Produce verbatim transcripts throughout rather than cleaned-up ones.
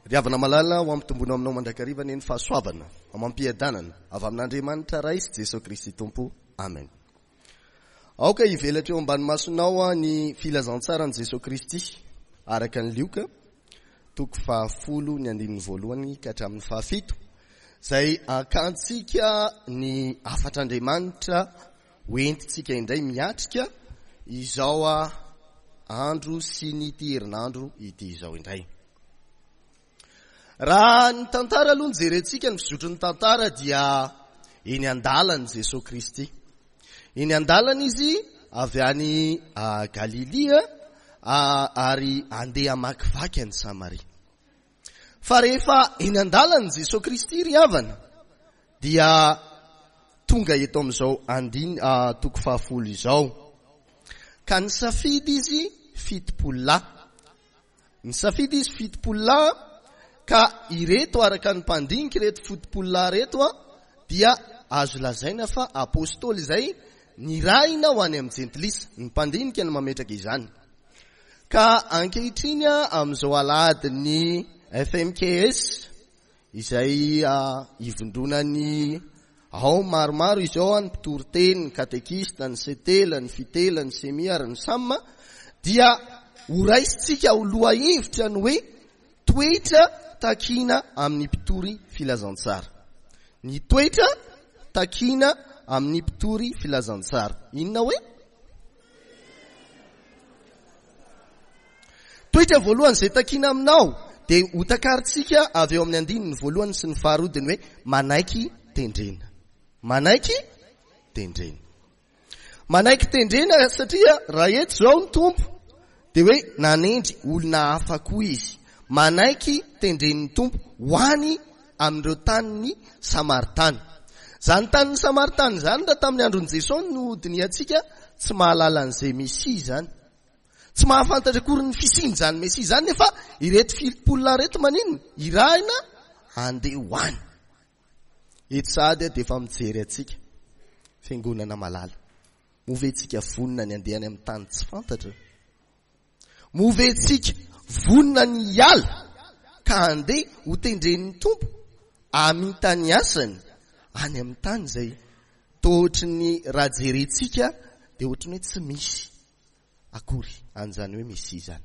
Ry havana malala, ho ampitomboina aminao mandrakariva anie ny fahasoavana amam-piadanana avy amin'Andriamanitra Ray sy Jesoa Kristy Tompo. Amen. Aoka hivelatra eo ambany masonao ny filazantsaran'i Jesoa Kristy araka ny Lioka, toko fahafolo ny andininy voalohany ka hatramin'ny fahafito, izay hakantsika ny hafatr'Andriamanitra hoentintsika indray miatrika izao andro sy ny ity herinandro ity izao indray. Raha ny tantara aloha no jerentsika, ny fizotry ny tantara dia eny an-dalany Jesoa Kristy. Eny an-dalana izy avy any Galilia ary andeha hamakivaky an'i Samaria. Fa rehefa eny an-dalany Jesoa Kristy ry havana dia tonga eto amin'izao andiny toko fahafolo izao. Ka nisafidy izy fitopolo lahy. Nisafidy izy fitopolo lahy ka ireto araka ny mpandinika ireto fitopolo lahy ireto dia azo lazaina fa apôstôly izay nirahina ho any amin'ny jentilisa. Ny mpandinika no mametraka izany. Ka ankehitriny amin'izao alahadin'ny F M K S izay ivondronan'ny ao maromaro izao, ny mpitoriteny, ny katekista, ny setela, ny fitela, ny semi ary ny sam, dia horaisintsika ho lohahevitra ny hoe toetra takina amin'ny mpitory filazantsara. Ny toetra takina amin'ny mpitory filazantsara. Inona hoe? Toetra voalohany izay takina aminao dia ho takarintsika avy eo amin'ny andininy voalohany sy ny faharoa, dia ny hoe manaiky tendrena. Manaiky tendrena. Manaiky tendrena satria raha eto izao ny Tompo dia hoe nanendry olona hafa koa izy. Manaiky tendren'ny Tompo ho any amin'ireo tanin'ny Samaritana. Izany tanin'ny Samaritana izany raha tamin'ny andron'i Jesosy no dinihantsika, tsy mahalala an'izay Mesia izany. Tsy mahafantatra akory ny fisian'izany Mesia izany, nefa ireto fitopolo lahy ireto maninona? Irahina handeha ho any. Eto sahady dia efa mijery antsika, fiangonana malala. Moa ve tsika vonona ny handeha any amin'ny tany tsy fantatra? Moa ve tsika vonona ny hiala ka handeha ho tendren'ny Tompo hamita ny asany any amin'ny tany izay toa ohatry ny raha jerentsika dia ohatry ny hoe tsy misy akory an'izany hoe Mesia izany.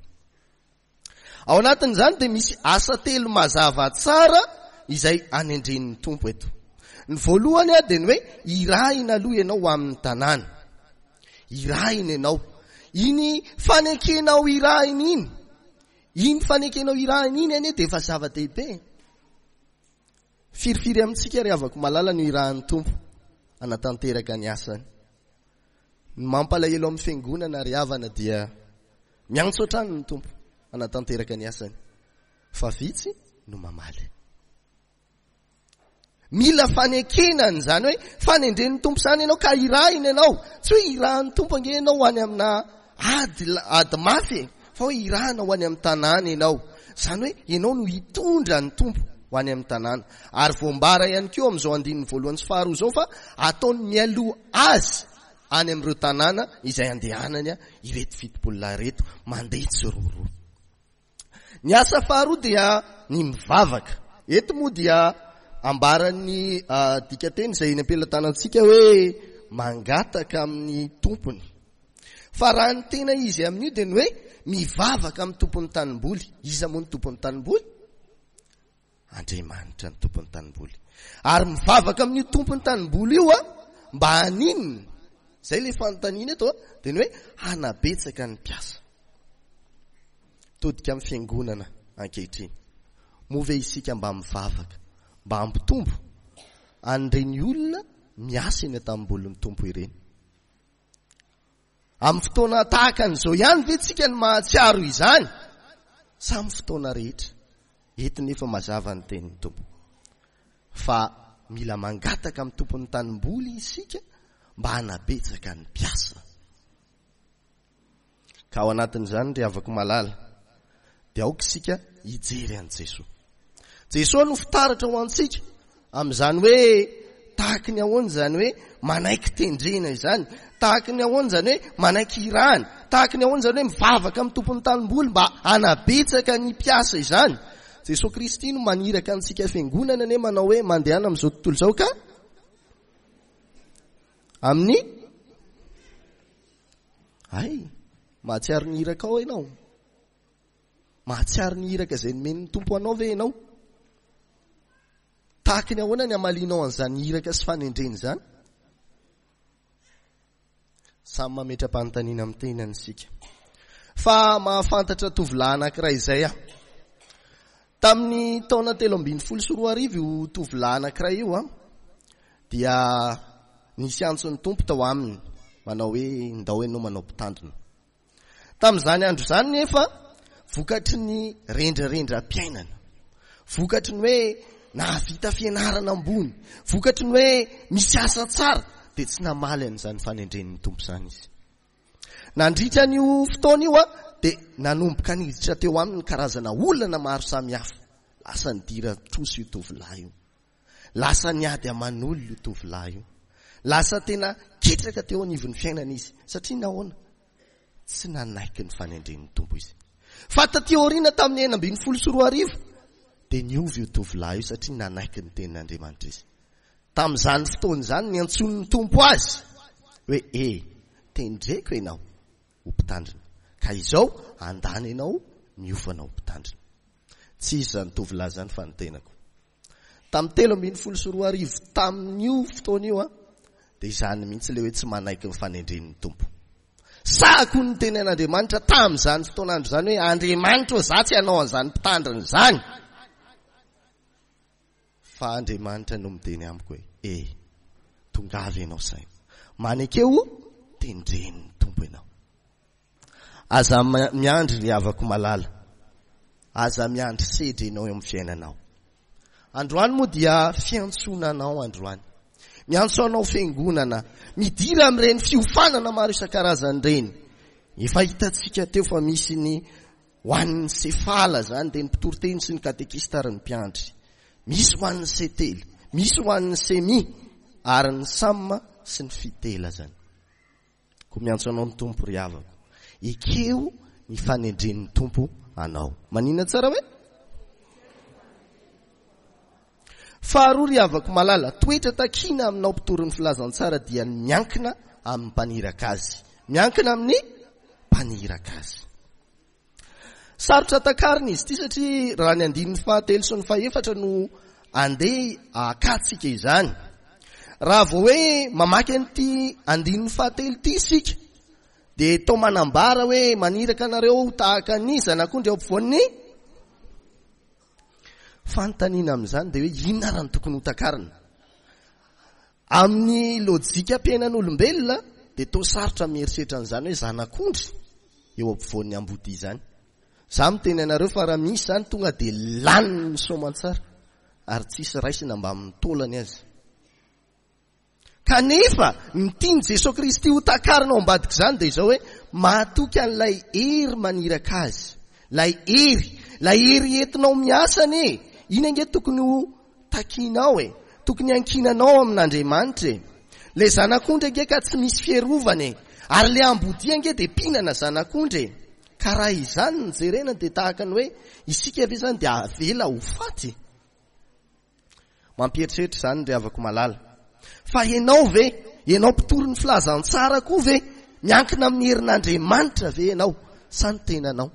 Ao anatin'izany dia misy asa telo mazava tsara izay anendren'ny Tompo eto. Ny voalohany dia ny hoe irahina aloha ianao ho amin'ny tanàna. Irahina ianao. Iny fanekenao irahina iny, iny fanekenao irahina iny anie dia efa zava-dehibe. Firifiry amintsika ry havako malala no irahan'ny Tompo hanatanteraka ny asany. Ny mampalahelo amin'ny fiangonana ry havana dia miantso hatrany ny Tompo hanatanteraka ny asany, fa vitsy no mamaly. Mila fanekena an'izany hoe fanendren'ny Tompo izany ianao ka irahina ianao. Tsy hoe irahan'ny Tompo ange ianao ho any amina ady, ady mafy e, fa hoe irahana ho any amin'ny tanàna ianao. Izany hoe ianao no hitondra ny Tompo ho any amin'ny tanàna. Ary voambara ihany koa amin'izao andininy voalohany sy faharoa izao fa ataony mialoha azy any amin'ireo tanàna izay andehanany ireto fitopolo lahy ireto mandeha tsiroaroa. Ny asa faharoa dia ny mivavaka. Eto moa dia ambaran'ny dikateny izay eny am-pelatanantsika hoe mangataka amin'ny tompony. Fa raha ny tena izy amin'io dia ny hoe mivavaka amin'ny tompon'ny tanimboly. Iza moa ny tompon'ny tanimboly? Andriamanitra ny tompon'ny tanimboly. Ary mivavaka amin'io tompon'ny tanimboly io a, mba haninona? Izay ilay fanontaniana eto a, dia ny hoe hanabetsaka ny mpiasa. Todika amin'ny fiangonana ankehitriny. Moa ve isika mba mivavaka mba hampitombo an'ireny olona miasa eny an-tanimbolin'ny Tompo ireny? Amin'ny fotoana tahaka an'izao ihany ve tsika no mahatsiaro izany? Sa amin'ny fotoana rehetra? Eto nefa mazava ny tenin'ny Tompo fa mila mangataka amin'ny tompon'ny tanimboly isika mba hanabetsaka ny mpiasa. Ka ao anatin'izany ry havako malala dia aoka isika hijery an'i Jesoa. Jesoa no fitaratra ho antsika amin'izany hoe tahaky ny ahoana izany hoe manaiky tendrena izany, tahaky ny ahoana izany hoe manaiky irahana, tahaky ny ahoana izany hoe mivavaka amin'ny tompon'ny tanimboly mba hanabetsaka ny mpiasa izany. Jesoa Kristy no maniraka antsika fiangonana anie manao hoe mandehana amin'izao tontolo izao ka amin'ny ay mahatsiaro ny iraka ao ianao. Mahatsiaro ny iraka izay nomen'ny Tompo anao ve ianao? Tahaka ny ahoana ny hamalianao an'izany iraka sy fanendrena izany? Samy mametra-panontaniana amin'ny tenany isika. Fa mahafantatra tovolahy anankiray izay aho. Tamin'ny taona telo ambin'ny folo sy roa arivo io tovolahy anankiray io an, dia nisy antson'ny Tompo tao aminy manao hoe ndao ianao manao mpitandrina. Tamin'izany andro izany nefa vokatry ny rendrarendram-piainana, vokatry ny hoe nahavita fianarana ambony, vokatry ny hoe misy asa tsara, dia tsy namaly an'izany fanendren'ny Tompo izany izy. Nandritra an'io fotoana io a, dia nanomboka niditra teo aminy karazana olana maro samihafa. Lasa nidira trosa io tovolahy io. Lasa niady aman'olona io tovolahy io. Lasa tena ketraka teo anivon'ny fiainana izy. Satria nahoana? Tsy nanaiky ny fanendren'ny Tompo izy. Fa taty aoriana tamin'ny enina ambin'ny folo sy roa arivo dia niova io tovolahy io satria nanaiky ny tenin'Andriamanitra izy. Tamin'izany fotoana izany niantsoan'ny Tompo azy hoe e, tendreko ianao ho mpitandrina. Ka izao andany ianao miofana ho mpitandrina. Tsy izy izany tovolahy izany fa ny tenako. Tamin'ny telo ambin'ny folo sy roa arivo tamin'io fotoana io a, dia izany mihitsy ilay hoe tsy manaiky ny fanendren'ny Tompo. Sahako ny teny an'Andriamanitra tamin'izany fotoan'andro izany hoe Andriamanitra za tsy hanao an'izany mpitandrina izany. Fa Andriamanitra no miteny amiko hoe e, tongava ianao saina. Manekeo tendren'ny Tompo ianao. Aza miandry ry havako malala. Aza miandry sedra ianao eo amin'ny fiainanao. Androany moa dia fiantsoana anao androany. Miantso anao fiangonana, midira amin'ireny fiofanana maro isan-karazany ireny. Efa hitantsika teo fa misy ny ho an'ny sefala zany, dia ny mpitoriteny sy ny katekista ary ny mpiandry. Misy ho an'ny setely, misy ho an'ny semi ary ny sam sy ny fitela zany. Koa miantso anao ny Tompo ry havako. Ekeo ny fanendren'ny Tompo anao. Manina tsara hoe? Faharoa ry havako malala, toetra takiana aminao mpitory ny filazantsara dia ny miankina amin'ny mpaniraka azy. Miankina amin'ny mpaniraka azy. Sarotra takarina izy ity satria raha ny andininy fahatelo sy ny fahefatra no andeha akatsika izany. Raha vao hoe mamaky an'ity andininy fahatelo ity isika, dia toa manambara hoe maniraka anareo tahaka ny zanak'ondry eo ampovoan'ny fanontaniana amin'izany dia hoe inona ary no tokony ho takarina? Amin'ny lojikam-piainan'olombelona dia toa sarotra mieritreritra an'izany hoe zanak'ondry eo ampovoan'ny ambodia izany. Za miteny anareo fa raha misy izany tonga dia laniny ny soamantsara ary tsisy raisina mba amin'ny taolany azy. Kanefa ny tian'i Jesoa Kristy ho takarina ao ambadika izany dia izao hoe mahatoky an'ilay hery maniraka azy. Ilay hery, ilay hery entinao miasa anie. Iny ange tokony ho takinao e. Tokony hankinanao amin'Andriamanitra e. Ilay zanak'ondry ange ka tsy misy fiarovana e. Ary ilay ambodia ange dia mpinana zanak'ondry e. Ka raha izany no jerena dia tahaka ny hoe isika ve izany dia avela ho faty? Mampieritreritra izany ry havako malala. Fa ianao ve, ianao mpitory ny filazantsara koa ve, miankina amin'ny herin'Andriamanitra ve ianao sa ny tenanao?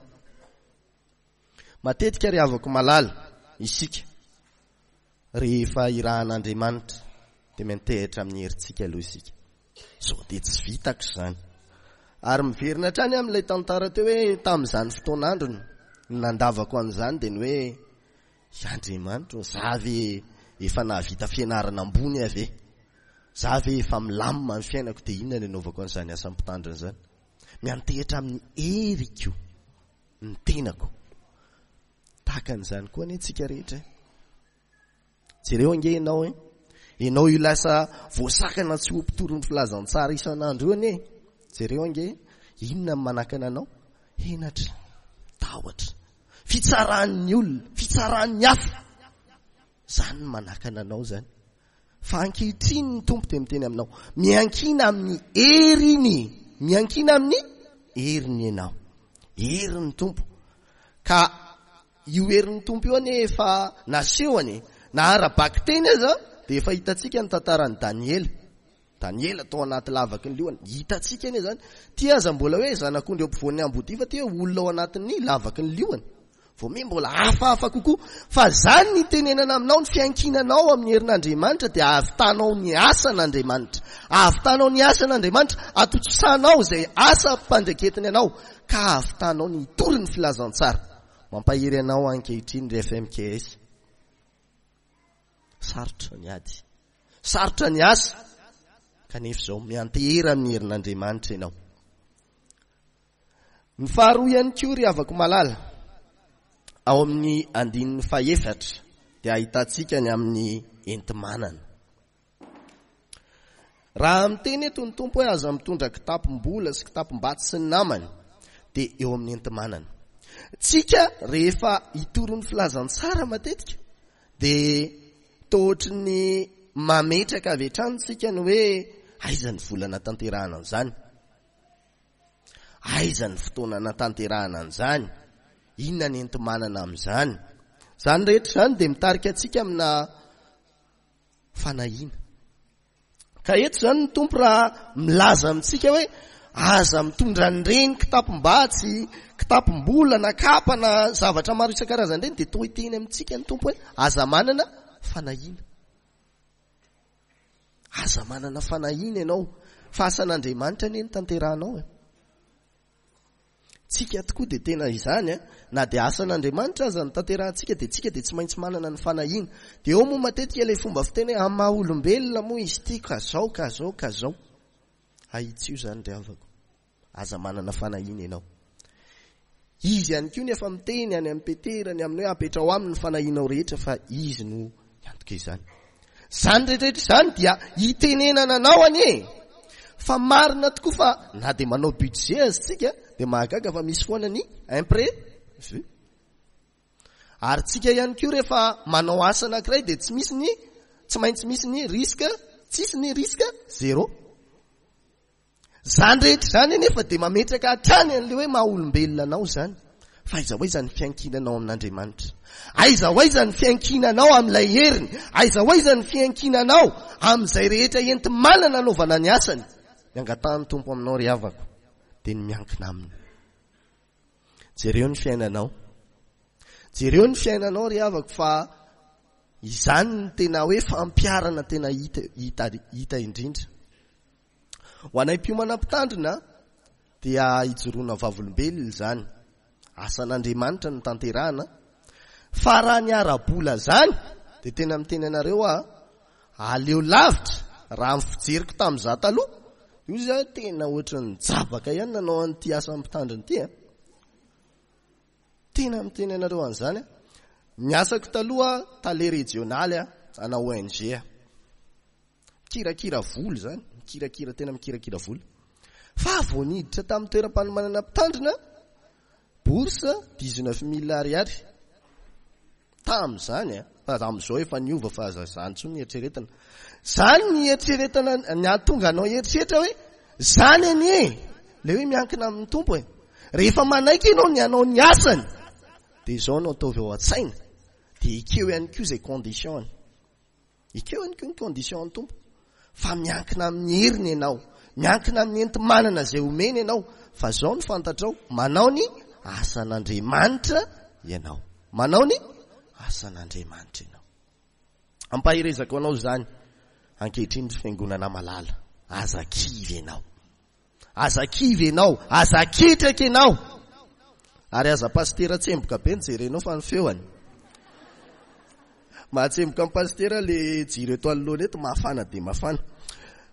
Matetika ry havako malala isika rehefa irahan'Andriamanitra dia miantehitra amin'ny herintsika aloha isika. Sao dia tsy vitako izany. Ary miverina hatrany amin'ilay tantara teo hoe tamin'izany fotoan'androny ny nandavako an'izany dia ny hoe Andriamanitra, za ve efa nahavita fianarana ambony aho ve? Za ve efa milamina ny fiainako dia inona no anaovako an'izany asa mpitandrina izany? Miantehitra amin'ny heriko ny tenako. Tahaka an'izany koa anie tsika rehetra. Jereo ange ianao e. Ianao io lasa voasakana tsy ho mpitory ny filazantsara isan'andro io anie. Jereo ange, inona ny manakana anao? Henatra, tahotra, fitsaran'ny olona, fitsaran'ny hafa. Izany no manakana anao izany. Fa ankehitriny ny Tompo dia miteny aminao, miankina amin'ny heriny, miankina amin'ny heriny ianao. Herin'ny Tompo. Ka io herin'ny Tompo io anie efa nasehony e. Na ara-bakiteny aza dia efa hitantsika ny tantaran'i Daniela. Daniela tao anaty lavaky ny liona. Hitantsika anie zany. Ty aza mbola hoe zanak'ondry eo ampovoan'ny ambodia fa ty hoe olona ao anatin'ny lavaky ny liona. Vao miha mbola hafahafa kokoa. Fa zany ny tenenana aminao, ny fiankinanao amin'ny herin'Andriamanitra dia ahavitanao ny asan'Andriamanitra. Ahavitanao ny asan'Andriamanitra, atotosanao izay asa ampandraiketiny anao ka ahavitanao ny hitory ny filazantsara. Mampahery anao ankehitriny ry F M K S. Sarotra ny ady. Sarotra ny asa. Kanefa izao miantehera amin'ny herin'Andriamanitra ianao. Ny faharoa ihany koa ry havako malala, ao amin'ny andininy fahefatra dia ahitantsika ny amin'ny enti-manana. Raha miteny eto ny Tompo hoe aza mitondra kitapom-bola sy kitapom-batsy sy ny namany, dia eo amin'ny enti-manana. Tsika rehefa hitory ny filazantsara matetika dia toa ohatry ny mametraka avy hatrany tsika ny hoe aiza ny vola natanterahana an'izany, aiza ny fotoana natanterahana an'izany, inona ny enti-manana amin'izany. Izany rehetra izany dia mitarika antsika amina fanahiana. Ka eto izany ny Tompo raha milaza amintsika hoe aza mitondra an'ireny kitapom-batsy, kitapom-bola na kapa na zavatra maro isan-karazany ireny, dia toa hiteny amintsika ny Tompo hoe aza manana fanahiana. Aza manana fanahiana ianao, fa asan'Andriamanitra anie no tanterahanao e. Tsika tokoa dia tena izany, na dia asan'Andriamanitra aza no tanterahantsika dia tsika dia tsy maintsy manana ny fanahiana. Dia eo moa matetika ilay fomba fiteny hoe amin'ny maha olombelona moa izy ity ka zao ka zao ka zao. Ahitsio izany ry havako. Aza manana fanahiana ianao. Izy ihany koa nefa miteny any amin'ny Petera ny amin'ny hoe apetrao aminy ny fanahianao rehetra fa izy no hiantoka izany. Izany rehetrarehetra izany dia hitenenana anao anie. Fa marina tokoa fa na dia manao budget aza tsika dia mahagaga fa misy foana ny imprévu. Ary tsika ihany koa rehefa manao asa anankiray dia tsy misy ny, tsy maintsy misy ny risque, tsisy ny risque zéro. Izany rehetra izany anefa dia mametraka hatrany an'ilay hoe maha olombelona anao izany. Fa aiza ho aiza ny fiankinanao amin'Andriamanitra? Aiza ho aiza ny fiankinanao amin'ilay heriny? Aiza ho aiza ny fiankinanao amin'izay rehetra enti-manana anaovana ny asany? Ny angatahan'ny Tompo aminao ry havako dia ny miankina aminy. Jereo ny fiainanao. Jereo ny fiainanao ry havako fa izany no tena hoe fampiharana tena hita, hita, hita indrindra. Ho anay mpiomana mpitandrina dia hijoroana vavolombelona izany. Asan'Andriamanitra no tanterahana. Fa raha ny ara-bola izany dia tena miteny anareo aho, aleo lavitra raha ny fijeriko tamin'izaho taloha. Io izy tena ohatran'ny jabaka ihany nanao an'ity asa mpitandrina ity, a. Tena miteny anareo an'izany aho. Ny asako taloha tale rejionaly aho, ana O N G aho. Mikirakira vola izany, mikirakira, tena mikirakira vola. Fa vao niditra tamin'ny toeram-panomanana mpitandrina, bourse dix-neuf mille ariary. Tamin'izany, a, fa amin'izao efa niova fa aza izany intsony ny eritreretina. Izany ny eritreretana, ny hahatonga anao hieritreritra hoe izany anie, ilay hoe miankina amin'ny Tompo e. Rehefa manaiky ianao ny hanao ny asany, dia izao no ataovy ao an-tsaina, dia ekeo ihany koa izay condition-ny. Ekeo ihany koa ny condition-ny Tompo. Fa miankina amin'ny heriny ianao, miankina amin'ny enti-manana izay omeny ianao, fa izao no fantatrao, manao ny asan'Andriamanitra ianao. Manao ny asan'Andriamanitra ianao. Ampaherezako anao izany ankehitriny ry fiangonana malala. Aza kivy ianao. Aza kivy ianao, aza ketraka ianao. Ary aza pastera tsemboka be ny jerenao fa ny feoany. Mahatsemboka ny pastera le jiro eto anoloana eto, mafana dia mafana.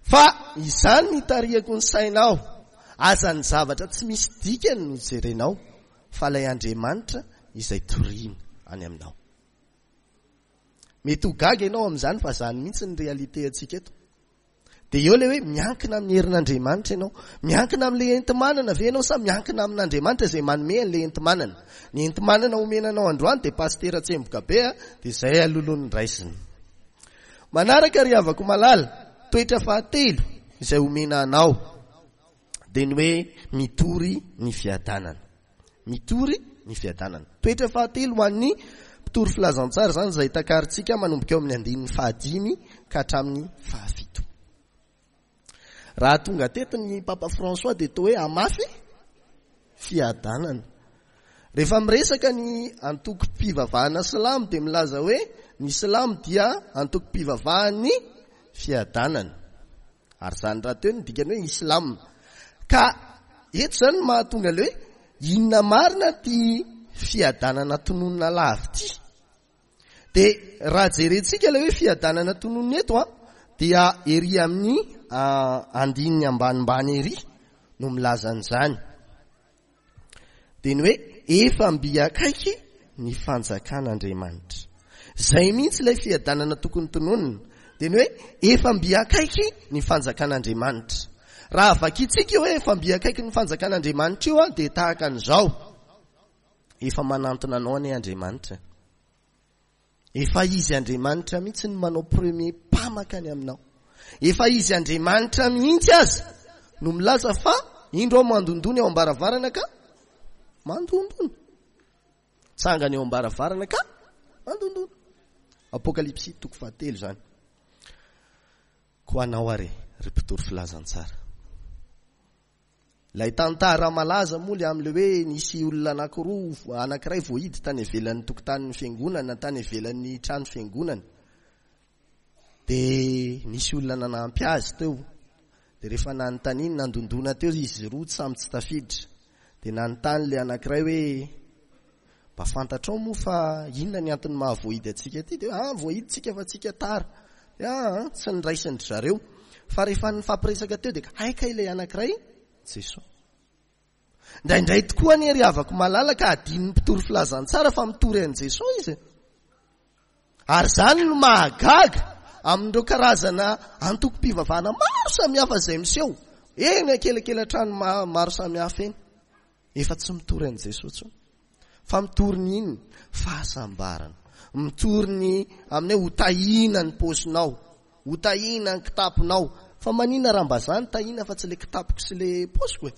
Fa izany ny tarihako ny sainao. Aza ny zavatra tsy misy dikany no jerenao, fa ilay Andriamanitra izay toriana any aminao. Mety ho gaga ianao amin'izany fa izany mihitsy ny réalité antsika eto. Dia eo ilay hoe miankina amin'ny herin'Andriamanitra ianao. Miankina amin'ilay enti-manana ve ianao sa miankina amin'Andriamanitra izay manome an'ilay enti-manana? Ny enti-manana omena anao androany dia pastera tsemboka be, a, dia izay alolon'ny raisiny. Manaraka ry havako malala, toetra fahatelo izay omena anao dia ny hoe mitory ny fiadanana. Mitory ny fiadanana. Toetra fahatelo ho an'ny mpitory filazantsara izany izay takarintsika manomboka eo amin'ny andininy fahadimy ka hatramin'ny fahafito. Raha tonga teto ny Papa François dia toa hoe hamafy fiadanana. Rehefa miresaka ny antokom-pivavahana silamo dia milaza hoe ny silamo dia antokom-pivavahan'ny fiadanana. Ary izany rahateo no dikany hoe islam. Ka eto izany no mahatonga ilay hoe inona marina ty fiadanana tononina lava ity. Dia raha jerentsika ilay hoe fiadanana tononina eto a, dia ery amin'ny andininy ambanimbany ery no milaza an'izany. Dia ny hoe efa mby akaiky ny fanjakan'Andriamanitra. Izay mihitsy ilay fiadanana tokony tononina. Dia ny hoe efa mby akaiky ny fanjakan'Andriamanitra. Raha vakintsika hoe efa mby akaiky ny fanjakan'Andriamanitra io a, dia tahaka an'izao. Efa manantona anao anie Andriamanitra. Efa izy Andriamanitra mihitsy no manao premier pas mankany aminao. Efa izy Andriamanitra mihitsy aza no milaza fa indro aho mandondona eo am-baravarana ka mandondona. Tsangana eo am-baravarana ka mandondona. Apokalypsy toko fahatelo izany. Koa anao ary ry mpitory filazantsara. Ilay tantara malaza moa le amin'ilay hoe nisy olona anankiroa, anankiray voahidy tany ivelan'ny tokotanin'ny fiangonana, tany ivelan'ny trano fiangonana. Dia nisy olona nanampy azy teo. Dia rehefa nanontaniany, nandondona teo izy roa, samy tsy tafiditra. Dia nanontany ilay anankiray hoe mba fantatrao moa fa inona ny antony mahavoahidy antsika ity? Dia ah, voahidy tsika fa tsika tara. Dia ah, tsy niraisin-dry zareo. Fa rehefa nifampiresaka teo dia hay ka ilay anankiray Jesoa. Indraindray tokoa anie ry havako malala ka adinon'ny mpitory filazantsara fa mitory an'i Jesoa izy. Ary izany no mahagaga amin'ireo karazana antokom-pivavahana maro samihafa izay miseho eny ankelankelan-trano maro samihafa eny. Efa tsy mitory an'i Jesoa intsony. Fa mitory ny inona? Fahasambarana. Mitory ny amin'ny hoe hotahiana ny paosinao, hotahiana ny kitaponao. Fa maninona raha mba zany tahiana fa tsy le kitapoko sy le paosiko e?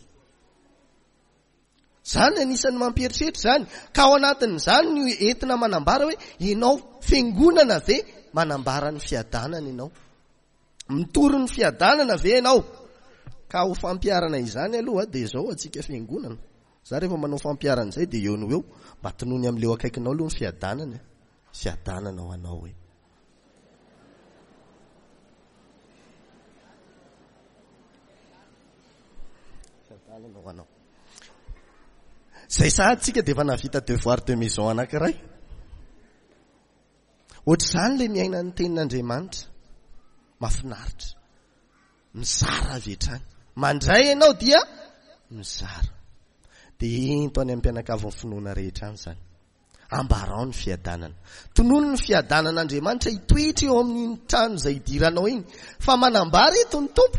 Zany anisan'ny mampieritreritra izany. Ka ao anatin'izany no entina manambara hoe ianao fiangonana ve manambara ny fiadanana ianao? Mitory ny fiadanana ve ianao? Ka ho fampiharana izany aloha dia izao antsika fiangonana. Za rehefa manao fampiharana izay dia eo no eo mba tonony amin'ileo akaikinao aloha ny fiadanana. Fiadanana ho anao e. Fiadanana ho anao. Izay sahady tsika dia efa nahavita devoir de maison anankiray. Ohatr'izany ilay miaina ny tenin'Andriamanitra. Mahafinaritra. Mizara avy hatrany. Mandray ianao dia mizara. Dia ento any amin'ny mpianakavin'ny finoana rehetra any izany. Ambarao ny fiadanana. Tonony ny fiadanan'Andriamanitra hitoetra eo amin'iny trano izay hidiranao iny. Fa manambara eto ny Tompo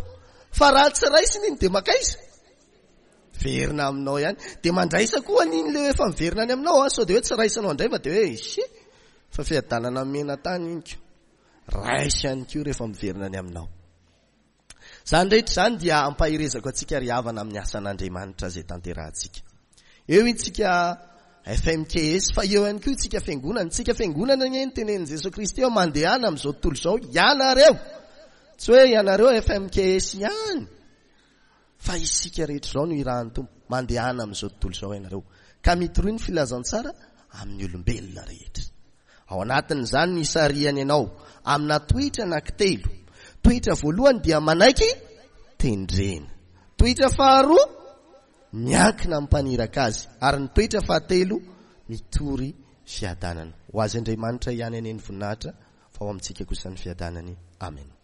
fa raha tsy raisina iny dia makaiza? Verina aminao ihany. Dia mandraisa koa an'iny le efa miverina any aminao, sao dia hoe tsy raisinao indray fa dia hoe ise fa fiadanana mena tany iny ko. Raisy ihany koa rehefa miverina any aminao. Izany rehetra izany dia ampaherezako antsika ry havana amin'ny asan'Andriamanitra izay tanterahantsika. Eo itsika F M K S fa eo ihany koa itsika fiangonana. Itsika fiangonana anie ny tenenin'i Jesoa Kristy hoe mandehana amin'izao tontolo izao ianareo. Tsy hoe ianareo F M K S ihany. Fa isika rehetra izao no irahan'ny Tompo. Mandehana amin'izao tontolo izao ianareo. Ka mitoroy ny filazantsara amin'ny olombelona rehetra. Ao anatin'izany ny isarihany anao amina toetra anankitelo. Toetra voalohany dia manaiky tendrena. Toetra faharoa miankina amin'ny mpaniraka azy. Ary ny toetra fahatelo mitory fiadanana. Ho azy Andriamanitra ihany anie ny voninahitra fa ho amintsika kosa ny fiadanany. Amen.